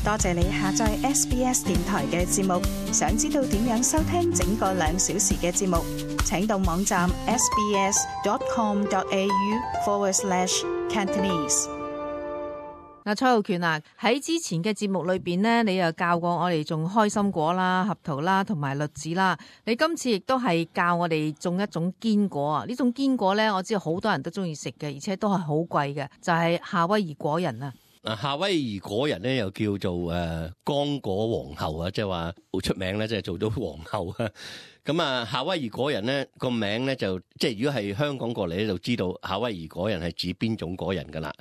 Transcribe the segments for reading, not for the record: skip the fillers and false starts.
多謝你下載 SBS 電台嘅節目。想知道點樣收聽整個2小時嘅節目，請到網站 sbs.com.au/Cantonese。嗱，蔡浩權啊，喺之前嘅節目裏邊呢，你又教過我哋種開心果啦、合桃啦同埋栗子啦。你今次亦都係教我哋種一種堅果啊！呢種堅果呢，我知道好多人都中意食嘅，而且都係好貴嘅，就係夏威夷果仁啊！夏威夷果仁咧又叫做剛果皇后啊，即係話好出名咧，即係做到皇后啊。咁啊，夏威夷果仁咧個名咧就即係如果係香港過嚟咧，就知道夏威夷果仁係指邊種果仁噶啦。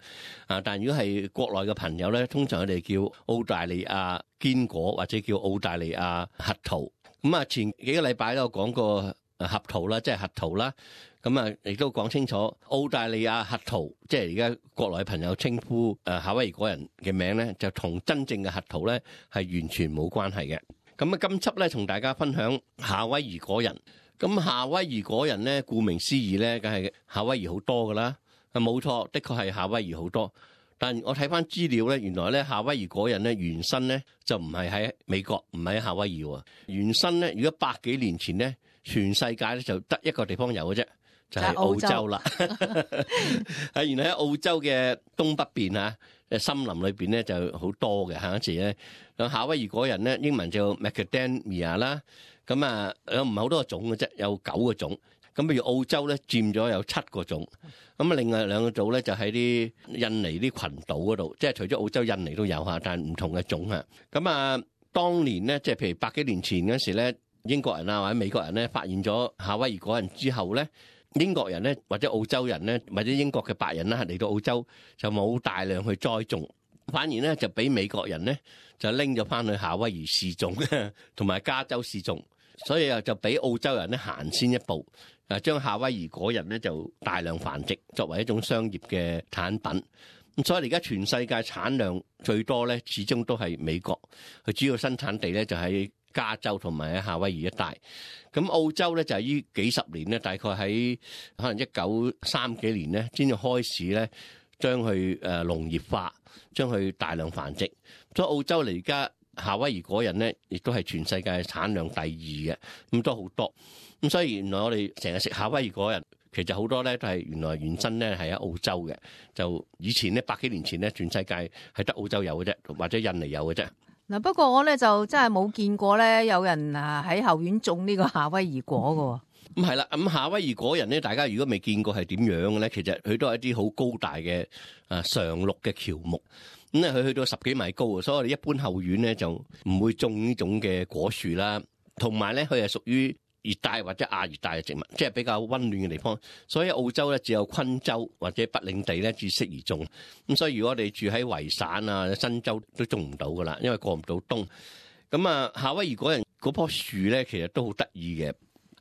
但如果係國內嘅朋友咧，通常佢哋叫澳大利亞堅果或者叫澳大利亞核桃。咁啊，前幾個禮拜都有講過合桃啦，即係核桃啦。咁啊，亦都講清楚澳大利亞核桃，即係而家國內朋友稱呼夏威夷果仁嘅名咧，就同真正嘅核桃咧係完全冇關係嘅。咁啊，今輯咧同大家分享夏威夷果仁。咁夏威夷果仁咧，顧名思義咧，梗係夏威夷好多噶啦。冇錯，的確係夏威夷好多。但我睇翻資料咧，原來咧夏威夷果仁咧原身咧就唔係喺美國，唔係喺夏威夷喎。原身咧，如果100幾年前咧，全世界咧就得一個地方有嘅啫。就係澳洲啦，原來喺澳洲嘅東北邊啊，森林裏邊咧就好多嘅嚇。嗰時咧，夏威夷果仁咧英文叫 Macadamia 啦，咁啊有唔係好多個種嘅啫，有9個種。咁譬如澳洲咧佔咗有7個種，咁啊另外2個種咧就喺啲印尼啲群島嗰度，即係除咗澳洲、印尼都有嚇，但係唔同嘅種嚇。咁啊，當年咧即係譬如100幾年前嗰時咧，英國人啊或者美國人咧發現咗夏威夷果仁之後咧，英國人咧，或者澳洲人咧，或者英國嘅白人啦，嚟到澳洲就冇大量去栽種，反而咧就俾美國人咧就拎咗翻去夏威夷試種，同埋加州試種，所以就俾澳洲人咧行先一步，將夏威夷果仁咧就大量繁殖，作為一種商業嘅產品。咁所以而家全世界產量最多咧，始終都係美國，佢主要生產地咧就喺加州同埋喺夏威夷一帶。咁澳洲咧就係呢幾十年咧，大概喺可能1930幾年咧，先至開始咧將佢農業化，將佢大量繁殖。所以澳洲嚟而家夏威夷果仁咧，亦都係全世界產量第2嘅，咁都好多。咁所以原來我哋成日食夏威夷果仁，其實好多咧都係原來原身咧係喺澳洲嘅。就以前咧100幾年前咧，全世界係得澳洲有嘅啫，或者印尼有嘅啫。嗱，不過我咧就真係冇見過咧有人喺後院種呢個夏威夷果㗎喎。咁係啦，咁夏威夷果仁咧，大家如果未見過係點樣嘅咧，其實佢都係一啲好高大嘅常綠嘅喬木，咁咧佢去到10幾米高，所以我哋一般後院咧就唔會種呢種嘅果樹啦。同埋咧，佢係屬於熱帶或者亞熱帶嘅植物，即係比較溫暖嘅地方，所以澳洲咧只有昆州或者北領地咧至適宜種。咁所以如果我哋住喺維省啊、新州都種唔到噶啦，因為過唔到冬。咁啊，夏威夷果仁嗰棵樹咧，其實都好得意嘅。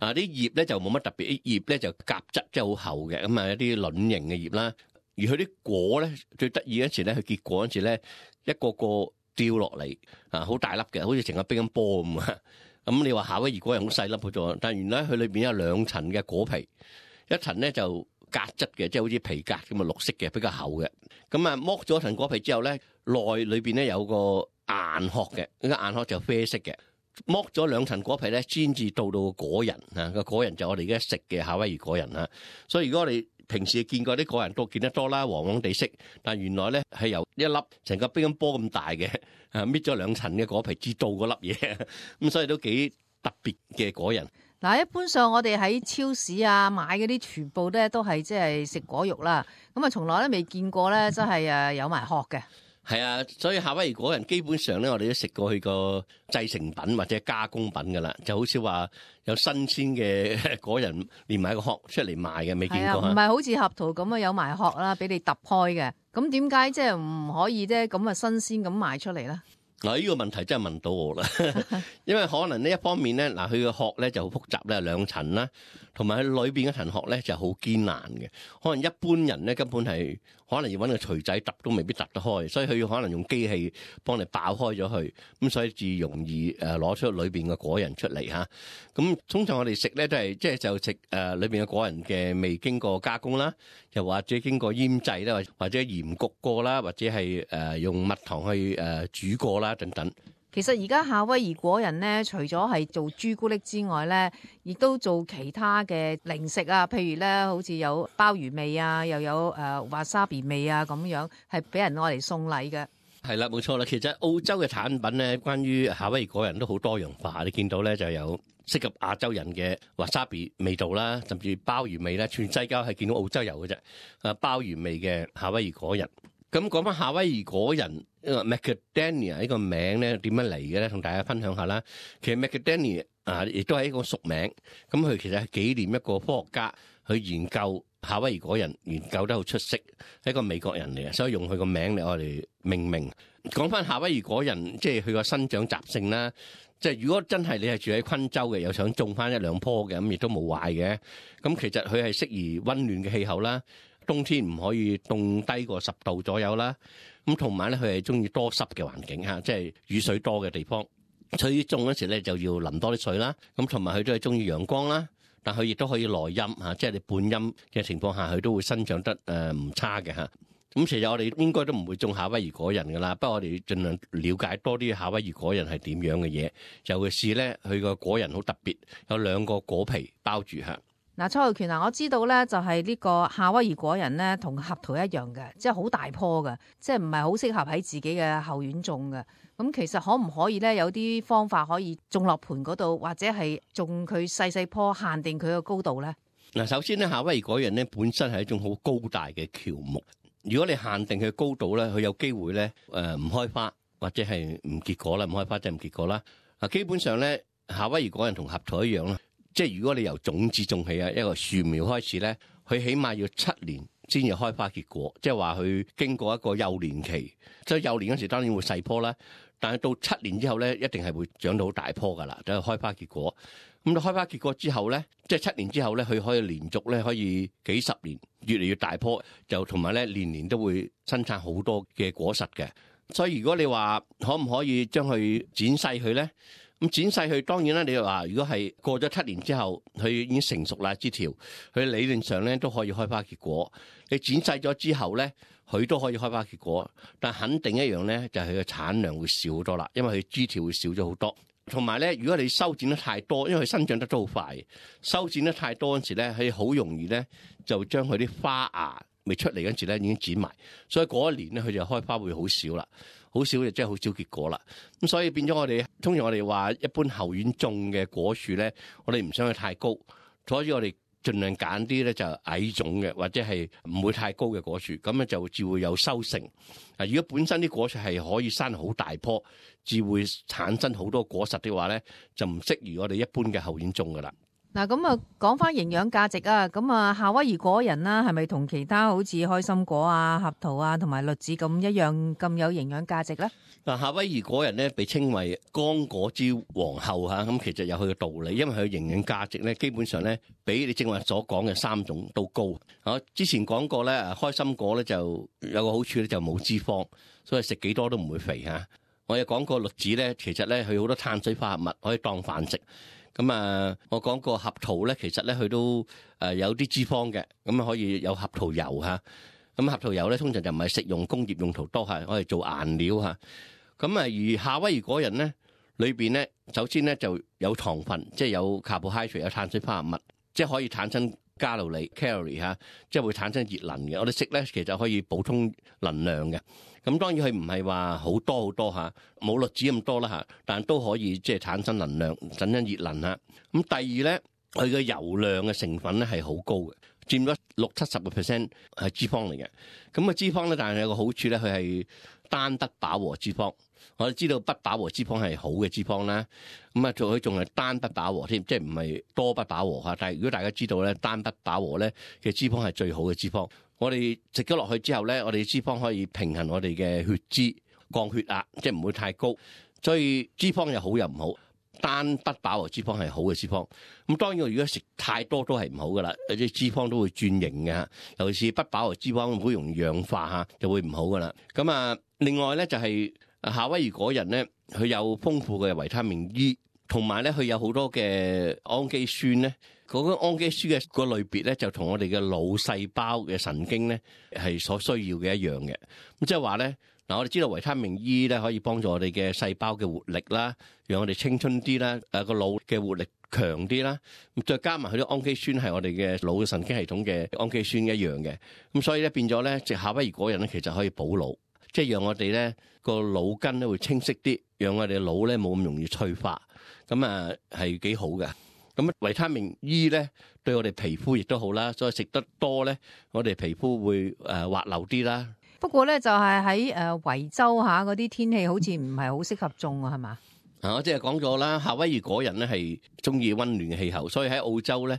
啲葉咧就冇乜特別，啲葉咧就夾質即係好厚嘅，咁啊一啲卵形嘅葉啦。而佢啲果咧最得意嗰時咧，佢結果嗰時咧一個個掉落嚟好大粒嘅，好似成個乒乓波咁啊！咁你話夏威夷果仁好細粒嘅啫，但原來佢裏邊有2層嘅果皮，一層咧就革質嘅，即係好似皮革咁啊，綠色嘅，比較厚嘅。咁啊，剝咗層果皮之後咧，內裏邊咧有個硬殼嘅，呢個硬殼就啡色嘅。剝咗2層果皮咧，先至到個果仁啊！個果仁就我哋而家食嘅夏威夷果仁啊。所以如果我哋平時見過啲果仁都見得多啦，黃黃地色，但原來咧係由一粒成個乒乓波咁大嘅搣咗2層嘅果皮至到嗰粒嘢，咁所以都幾特別嘅果仁。嗱，一般上我哋喺超市啊買嗰啲全部咧都係即係食果肉啦，咁啊從來都未見過咧，真係有埋殼嘅。係啊，所以夏威夷果仁基本上咧，我哋都食過佢個製成品或者加工品噶啦，就好少話有新鮮嘅果仁連埋個殼出嚟賣嘅，未見過。唔係好似合桃咁啊，有埋殼啦，俾你揼開嘅。咁點解即係唔可以啫咁啊新鮮咁賣出嚟咧？嗱，呢個問題真係問到我啦，因為可能呢一方面咧，嗱佢個殼咧就好複雜咧，2層啦，同埋佢裏邊嗰層殼咧就好堅硬嘅，可能一般人咧根本係可能要揾個錘仔揼都未必揼得開，所以佢要可能用機器幫你爆開咗佢，咁所以至容易攞出裏邊嘅果仁出嚟嚇。咁通常我哋食咧都係即係就食裏邊嘅果仁嘅未經過加工啦，又或者經過醃製啦，或者鹽焗過啦，或者係用蜜糖去煮過啦。啦等等。其實而家夏威夷果仁咧，除咗係做朱古力之外咧，亦都做其他嘅零食啊，譬如咧好似有鮑魚味啊，又有華沙比味啊咁樣，係俾人攞嚟送禮嘅。係啦，冇錯啦。其實澳洲嘅產品咧，關於夏威夷果仁都好多樣化。你見到咧就有適合亞洲人嘅華沙比味道啦，甚至鮑魚味咧，全世界係見到澳洲有嘅啫。鮑魚味嘅夏威夷果仁。咁講翻夏威夷果仁，Macadamia 呢個名咧點樣嚟嘅咧？同大家分享下啦。其實 Macadamia 亦都係一個俗名。咁佢其實係紀念一個科學家去研究夏威夷果仁，研究得好出色，係一個美國人嚟嘅，所以用佢個名嚟我哋命名。講翻夏威夷果仁，即係佢個生長習性啦。即係如果真係你係住喺昆州嘅，又想種翻一兩棵嘅，咁亦都冇壞嘅。咁其實佢係適宜溫暖嘅氣候啦。冬天唔可以凍低過10度左右啦，咁同埋咧佢係中意多濕嘅環境嚇，即係雨水多嘅地方。所以種嗰時咧就要淋多啲水啦，咁同埋佢都係中意陽光啦，但佢亦都可以耐陰嚇，即係你半陰嘅情況下，佢都會生長得唔差嘅嚇。咁其實我哋應該都唔會種夏威夷果仁噶啦，不過我哋盡量了解多啲夏威夷果仁係點樣嘅嘢。尤其是咧佢個果仁好特別，有2個果皮包住嚇。嗱，蔡浩權我知道咧，就係呢個夏威夷果仁咧，同合桃一樣嘅，即係好大棵嘅，即係唔係好適合喺自己嘅後院種嘅。咁其實可唔可以咧，有啲方法可以種落盆嗰度，或者係種佢細細棵，限定佢個高度咧？嗱，首先咧，夏威夷果仁咧本身係一種好高大嘅喬木，如果你限定佢高度咧，佢有機會咧唔開花或者係唔結果啦，唔開花即係唔結果啦。嗱，基本上咧，夏威夷果仁同合桃一樣啦。即係如果你由種子種起啊，一個樹苗開始咧，佢起碼要7年先至開花結果，即係話佢經過一個幼年期。即係幼年嗰時當然會細棵啦，但係到7年之後咧，一定係會長到好大棵噶啦，就係開花結果。咁到開花結果之後咧，即係7年之後咧，佢可以連續咧可以幾十年越嚟越大棵，就同埋咧年年都會生產好多嘅果實嘅。所以如果你話可唔可以將佢剪細佢咧？咁剪細佢當然啦，你話如果係過咗7年之後，佢已經成熟啦，枝條佢理論上咧都可以開花結果。你剪細咗之後咧，佢都可以開花結果，但肯定一樣咧，就係佢嘅產量會少好多啦，因為佢枝條會少咗好多。同埋咧，如果你修剪得太多，因為佢生長得都好快，修剪得太多嗰時咧，佢好容易咧就將佢啲花芽未出嚟嗰時咧已經剪埋，所以嗰一年咧佢就開花會好少啦。好少就真係好少結果啦，咁所以變咗通常我哋話一般後院種嘅果樹咧，我哋唔想佢太高，所以我哋盡量揀啲咧就矮種嘅，或者係唔會太高嘅果樹，咁咧就至會有收成。如果本身啲果樹係可以生好大棵，至會產生好多果實的話咧，就唔適宜我哋一般嘅後院種噶啦。嗱，咁啊，講翻營養價值啊，咁啊，夏威夷果仁啦，係咪同其他好似開心果啊、合桃啊同埋栗子咁一樣咁有營養價值咧？嗱，夏威夷果仁咧被稱為剛果之皇后嚇，咁其實有佢嘅道理，因為佢營養價值咧基本上咧比你正話所講嘅3種都高。我之前講過咧，開心果咧就有個好處咧就冇脂肪，所以食幾多都唔會肥嚇。我有講過栗子咧，其實咧佢好多碳水化合物可以當飯食。咁我講過合桃咧，其實咧佢都有啲脂肪嘅，咁可以有合桃油嚇。咁合桃油咧通常就唔係食用，工業用途多係可以做顏料嚇。咁而夏威夷果仁咧裏邊咧，首先咧就有糖分，即係有 carbohydrate 有碳水化合物，即係可以產生卡路里 calorie 嚇，即係會產生熱能嘅。我哋食咧其實可以補充能量嘅。咁當然佢唔係話好多嚇，冇栗子咁多啦嚇，但都可以即係產生能量、產生熱能嚇。咁第二咧，佢嘅油量嘅成分咧係好高嘅，佔咗60-70%係脂肪嚟嘅。咁脂肪咧，但係有個好處咧，佢係單不飽和脂肪。我哋知道不飽和脂肪係好嘅脂肪啦，咁佢仲係單不飽和添，即係唔係多不飽和嚇。但係如果大家知道咧，單不飽和咧嘅脂肪係最好嘅脂肪。我哋食咗落去之後咧，我哋脂肪可以平衡我哋嘅血脂，降血壓，即係唔會太高。所以脂肪又好又唔好，單不飽和脂肪係好嘅脂肪。咁當然如果食太多都係唔好噶啦，有啲脂肪都會轉型嘅，尤其是不飽和脂肪好容易氧化嚇，就會唔好噶啦。咁另外咧就係夏威夷果仁咧，佢有豐富嘅維他命 E， 同埋咧佢有好多嘅氨基酸咧。嗰個氨基酸嘅個類別咧，就同我哋嘅腦細胞嘅神經咧係所需要嘅一樣嘅。咁即係話咧，嗱，我哋知道維他命 E 咧可以幫助我哋嘅細胞嘅活力啦，讓我哋青春啲啦，個腦嘅活力強啲啦。咁再加埋佢啲氨基酸係我哋嘅腦嘅神經系統嘅氨基酸一樣嘅，咁所以咧變咗咧，食夏威夷果仁咧其實可以補腦，即係讓我哋咧個腦筋咧會清晰啲，讓我哋嘅腦咧冇咁容易退化，咁啊係幾好嘅。咁維他命 E 咧對我哋皮膚亦都好啦，所以食得多咧，我哋皮膚會滑溜啲啦。不過咧就係喺維州下嗰啲天氣好似唔係好適合種啊，係嘛？我即係講咗啦，夏威夷果仁咧係中意溫暖嘅氣候，所以喺澳洲咧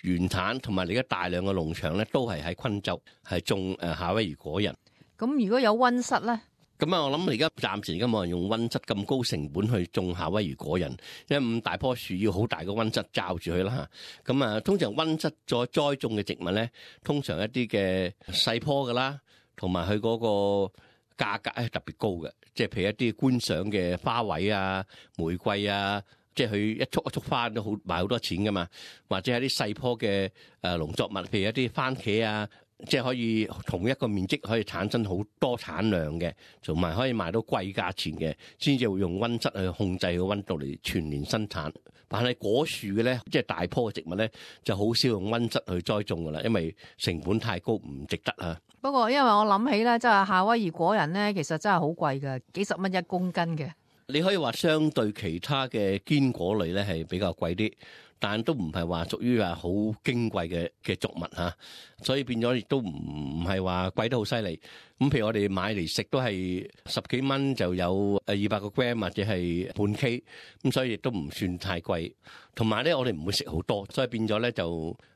原產同埋而家大量嘅農場咧都係喺昆州係種夏威夷果仁。咁如果有溫室咧？咁啊，我諗而家暫時而家冇人用溫室咁高成本去種夏威夷果仁，因為咁大棵樹要好大個溫室罩住佢啦嚇。咁啊，通常溫室再栽種嘅植物咧，通常一啲嘅細棵噶啦，同埋佢嗰個價格係特別高嘅，即係譬如一啲觀賞嘅花卉啊、玫瑰啊，即係佢一束一束花都好賣好多錢噶嘛，或者係啲細棵嘅農作物，譬如一啲番茄啊。即係可以同一個面積可以產生好多產量嘅，同埋可以賣到貴價錢嘅，先至會用溫室去控制個溫度嚟全年生產。但係果樹嘅咧，即係大棵嘅植物咧，就好少用溫室去栽種噶啦，因為成本太高，唔值得啊。不過因為我諗起咧，即係夏威夷果仁咧，其實真係好貴㗎，幾十蚊1公斤嘅。你可以話相對其他嘅堅果類咧係比較貴啲。但都唔係話屬於話好矜貴嘅作物嚇，所以變咗亦都唔係話貴得好犀利。咁譬如我哋買嚟食都係10幾蚊就有200個 gram 或者係半 K， 咁所以亦都唔算太貴。同埋咧，我哋唔會食好多，所以變咗咧就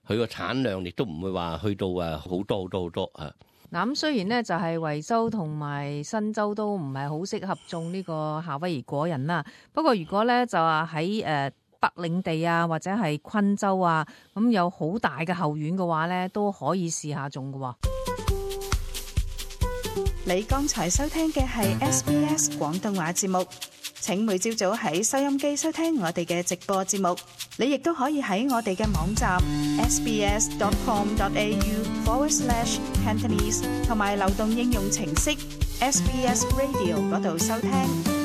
佢個產量亦都唔會話去到好多嚇。嗱，咁雖然咧就係維州同埋新州都唔係好適合種呢個夏威夷果仁啦。不過如果咧就話喺北領地啊，或者係昆州啊，咁有好大嘅後院嘅話咧，都可以試下種嘅。你剛才收聽嘅係 SBS 廣東話節目，請每朝早喺收音機收聽我哋嘅直播節目。你亦都可以喺我哋嘅網站 sbs.com.au/Cantonese 同埋流動應用程式 SBS Radio 嗰度收聽。